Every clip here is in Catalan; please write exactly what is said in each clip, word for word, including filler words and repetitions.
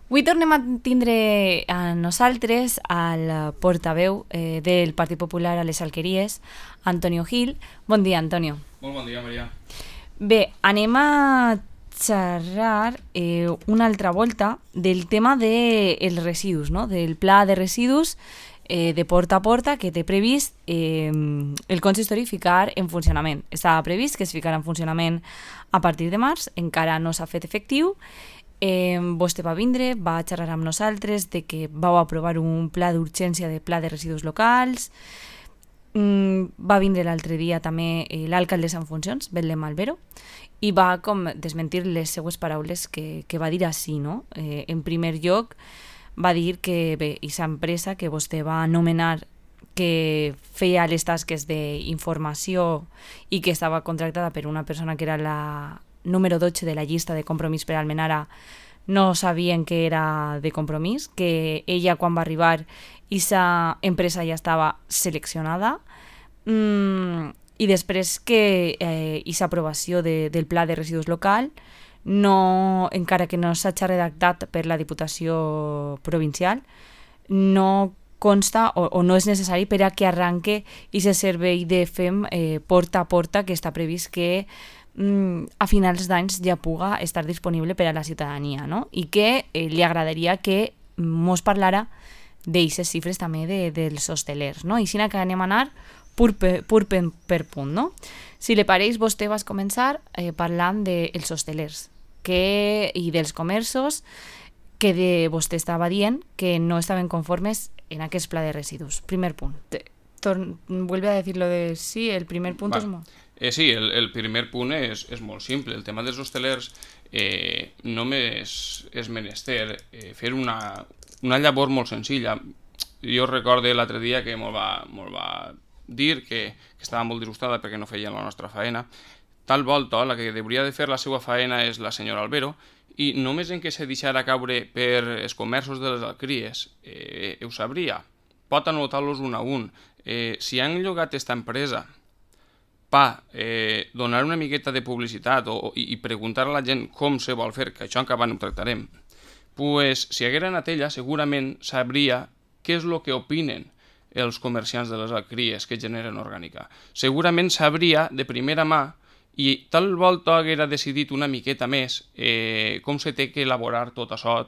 Avui tornem a tindre a nosaltres al portaveu eh, del Partit Popular a les Alqueries, Antonio Gil. Bon dia, Antonio. Molt bon dia, Maria. Bé, anem a xerrar eh, una altra volta del tema dels de residus, no? Del pla de residus eh, de porta a porta que té previst eh, el consistori ficar en funcionament. Estava previst que es ficarà en funcionament a partir de març, encara no s'ha fet efectiu. Eh, vostè va vindre, va xerrar amb nosaltres de que vau aprovar un pla d'urgència de pla de residus locals. Mm, va vindre l'altre dia també eh, l'alcaldessa en funcions, Belén Malvero, i va com desmentir les seues paraules que, que va dir així, no? Eh, en primer lloc va dir que bé, aquesta empresa que vostè va anomenar que feia les tasques d'informació i que estava contractada per una persona que era la número dotze de la llista de Compromís per Almenara, no sabien que era de Compromís, que ella quan va arribar aquesta empresa ja estava seleccionada, mm, i després que aquesta eh, aprovació de, del pla de residus local, no, encara que no s'hagi redactat per la Diputació Provincial, no consta o, o no és necessari per a que arranque aquest servei de F E M eh, porta a porta que està previst que a finals d'anys ja puga estar disponible per a la ciutadania, no? I que eh, li agradaria que mos parlara d'eixes xifres també de, dels hostelers, no? I així que anem a anar pur, per, pur per, per punt, no? Si li pareix, vostè vas començar eh, parlant dels hostelers que, i dels comerços que de, vostè estava dient que no estaven conformes en aquest pla de residus. Primer punt. Torn, vuelve a decir lo de sí, el primer punt és molt... Eh, sí, el, el primer punt és, és molt simple. El tema dels hostelers eh, només és menester eh, fer una, una llavor molt senzilla. Jo recordo l'altre dia que molt va, molt va dir que, que estava molt disgustada perquè no feien la nostra faena. Tal volta, la que hauria de fer la seva faena és la senyora Albero, i només en què se deixara caure per els comerços de les alqueries eh, ho sabria. Pot anotar-los un a un. Eh, si han llogat aquesta empresa pa eh, donar una miqueta de publicitat o, i, i preguntar a la gent com se vol fer, que això encara no ho tractarem, pues, si haguera anat ella segurament sabria què és el que opinen els comerciants de les alqueries que generen orgànica. Segurament sabria de primera mà i tal volta haguera decidit una miqueta més eh, com se té que elaborar tot això,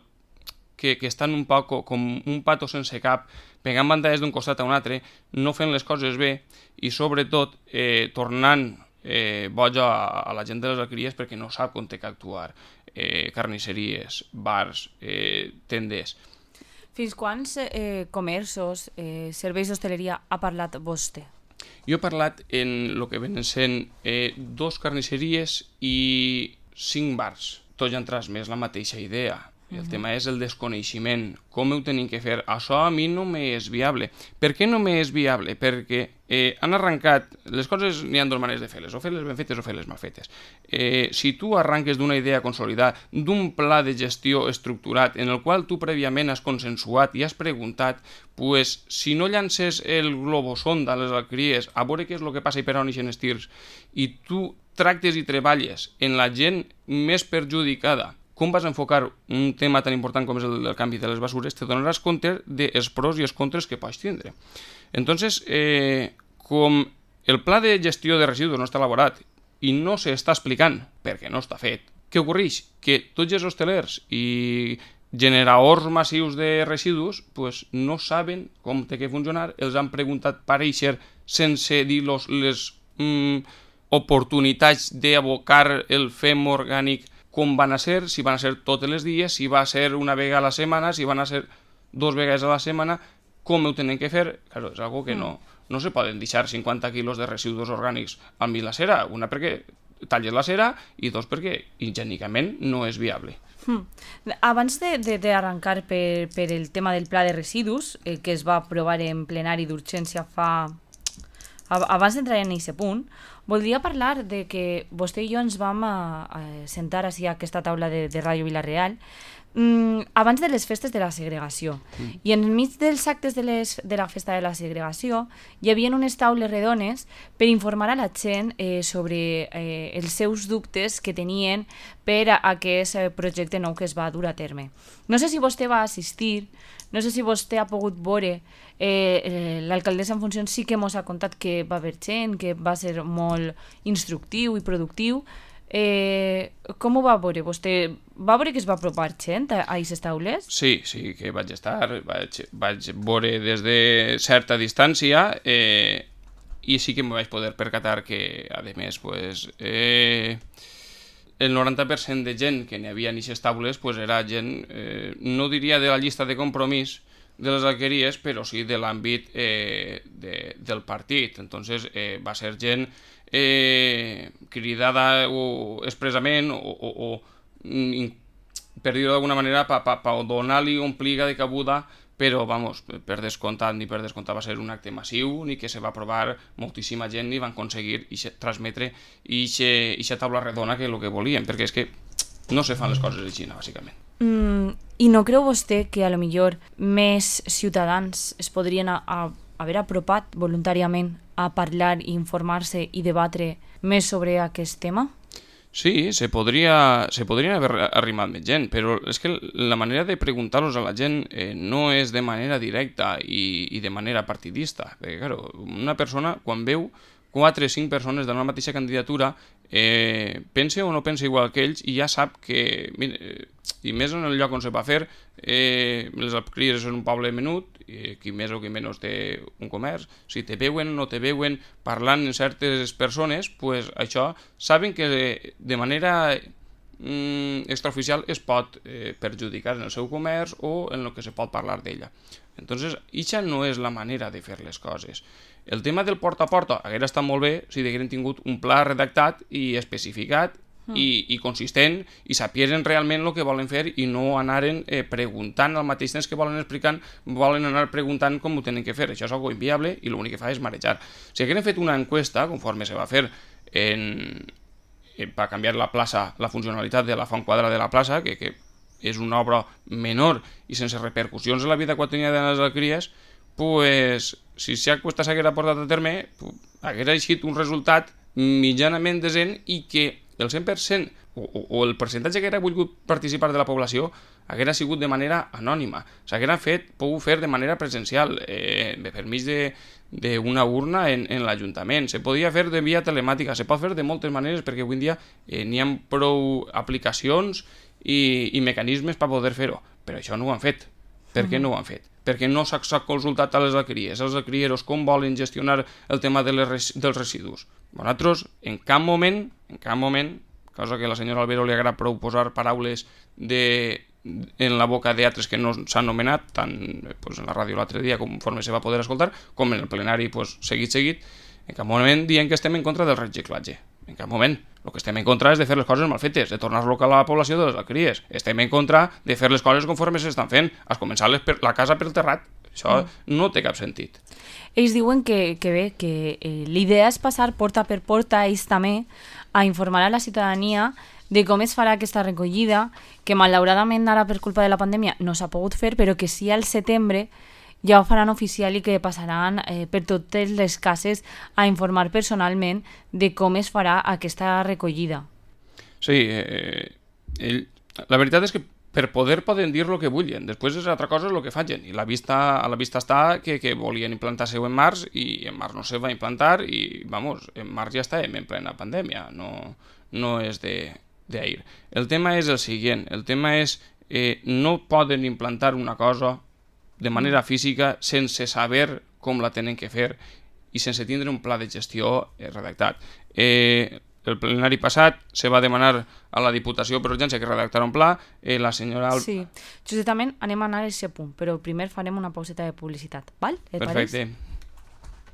que, que estan un poc com un pato sense cap, pegant bandades d'un costat a un altre, no fent les coses bé i sobretot eh, tornant eh, boja a, a la gent de les alqueries perquè no sap on té que actuar. Eh, carnisseries, bars, eh, tendes. Fins quants eh, comerços, eh, serveis d'hostaleria ha parlat vostè? Jo he parlat en el que venen sent eh, dos carnisseries i cinc bars. Tots han transmès la mateixa idea. El uh-huh. tema és el desconeixement, com ho tenim que fer. Això a mi no m'és viable. Per què no m'és viable? Perquè eh, han arrencat, les coses n'hi ha dues maneres de fer-les, o fer-les ben fetes o fer-les mal fetes. Eh, si tu arranques d'una idea consolidada, d'un pla de gestió estructurat, en el qual tu prèviament has consensuat i has preguntat, pues, si no llances el globosonda a les alqueries, a veure què és el que passa i per on ixen els tirs, i tu tractes i treballes en la gent més perjudicada, com vas enfocar un tema tan important com és el del canvi de les basures, te donaràs compte dels pros i els contres que pots tindre. Entonces, eh, com el pla de gestió de residus no està elaborat i no s'està explicant perquè no està fet, què ocorreix? Que tots els hostelers i generadors massius de residus pues, no saben com té que funcionar, els han preguntat per eixer sense dir-los les mm, oportunitats d'abocar el F E M orgànic com van a ser, si van a ser tots els dies, si va a ser una vegada a la setmana, si van a ser dos vegades a la setmana, com ho tenen que fer? Claro, és algo que no, no se poden deixar cinquanta quilos de residus orgànics al mig la cera, una perquè talles la cera i dos perquè higiènicament no és viable. Hmm. Abans d'arrencar per, per el tema del pla de residus, eh, que es va aprovar en plenari d'urgència fa... Abans d'entrar en aquest punt, voldria parlar de que vostè i jo ens vam a, a sentar així a aquesta taula de, de Ràdio Vila-real mm, abans de les festes de la segregació. Mm. I enmig dels actes de, les, de la festa de la segregació hi havia unes taules redones per informar a la gent eh, sobre eh, els seus dubtes que tenien per a aquest projecte nou que es va dur a terme. No sé si vostè va assistir, no sé si vostè ha pogut veure, eh, eh, l'alcaldessa en funcions sí que ens ha contat que va haver gent, que va ser molt instructiu i productiu. Eh, com ho va veure? Vostè va veure que es va apropar gent a aquestes taules? Sí, sí que vaig estar, vaig, vaig veure des de certa distància eh, i sí que em vaig poder percatar que, a més, pues, eh, el noranta per cent de gent que n'hi havia en aquestes taules pues, era gent, eh, no diria de la llista de compromís de les alqueries, però sí de l'àmbit eh, de, del partit. Entonces eh, va ser gent eh, cridada o expressament o, o, o per dir-ho d'alguna manera per pa, pa donar-li un pliga de cabuda, però vamos, per descomptat ni per descomptat va ser un acte massiu ni que se va aprovar moltíssima gent ni van aconseguir ixe, transmetre aquesta taula redona que és el que volien, perquè és que no se fan les coses així, bàsicament. Mm, I no creu vostè que a lo millor més ciutadans es podrien a, a haver apropat voluntàriament a parlar, informar-se i debatre més sobre aquest tema? Sí, se podria, se podrien haver arrimat més gent, però és que la manera de preguntar-los a la gent eh, no és de manera directa i, i de manera partidista. Perquè, claro, una persona, quan veu quatre o cinc persones de la mateixa candidatura, eh, pense o no pense igual que ells i ja sap que, mira, i més en el lloc on se va fer, eh, les alqueries són un poble menut, eh, qui més o qui menys té un comerç, si te veuen o no te veuen parlant amb certes persones, pues això saben que de manera mm, extraoficial es pot eh, perjudicar en el seu comerç o en el que se pot parlar d'ella. Entonces, això no és la manera de fer les coses. El tema del porta a porta hauria estat molt bé si haguessin tingut un pla redactat i especificat mm. i, i consistent i sapieren realment el que volen fer i no anaren eh, preguntant al mateix temps que volen explicar, volen anar preguntant com ho tenen que fer. Això és algo inviable i l'únic que fa és marejar. Si haguessin fet una enquesta, conforme se va fer en, eh, per canviar la plaça, la funcionalitat de la font quadra de la plaça, que, que és una obra menor i sense repercussions en la vida quotidiana de les alqueries, pues, si aquesta enquesta s'haguera portat a terme, haguera eixit un resultat mitjanament decent i que el cent per cent o, o, o el percentatge que haguera volgut participar de la població haguera sigut de manera anònima. S'haguera fet, pogut fer de manera presencial, eh, per mig d'una urna en, en l'Ajuntament. Se podia fer de via telemàtica, se pot fer de moltes maneres perquè avui en dia eh, n'hi ha prou aplicacions i, i mecanismes per poder fer-ho, però això no ho han fet. Per què no ho han fet? Perquè no s'ha consultat a les alqueries, als alquerieros, com volen gestionar el tema de les, dels residus. Nosaltres, en cap moment, en cap moment, cosa que a la senyora Albero li agrada prou posar paraules de, en la boca d'altres que no s'han nomenat, tant pues, en la ràdio l'altre dia, conforme se va poder escoltar, com en el plenari pues, seguit, seguit, en cap moment dient que estem en contra del reciclatge. En cap moment. El que estem en contra és de fer les coses mal fetes, de tornar-lo a la població de les alqueries. Estem en contra de fer les coses conforme s'estan fent, a començar per, la casa pel terrat. Això mm. no té cap sentit. Ells diuen que, que bé, que eh, l'idea és passar porta per porta, ells també, a informar a la ciutadania de com es farà aquesta recollida, que malauradament ara per culpa de la pandèmia no s'ha pogut fer, però que sí al setembre ja ho faran oficial i que passaran eh, per totes les cases a informar personalment de com es farà aquesta recollida. Sí, eh, ell, la veritat és que per poder poden dir el que vulguin, després és altra cosa el que facin, i la vista, a la vista està que, que volien implantar-se en març i en març no se va implantar i, vamos, en març ja estàvem en plena pandèmia, no, no és d'ahir. El tema és el següent, el tema és eh, no poden implantar una cosa de manera física sense saber com la tenen que fer i sense tindre un pla de gestió eh, redactat. Eh, el plenari passat se va demanar a la Diputació per urgència que redactara un pla, eh, la senyora... Sí, justament anem a anar a aquest punt, però primer farem una pauseta de publicitat, val? Perfecte.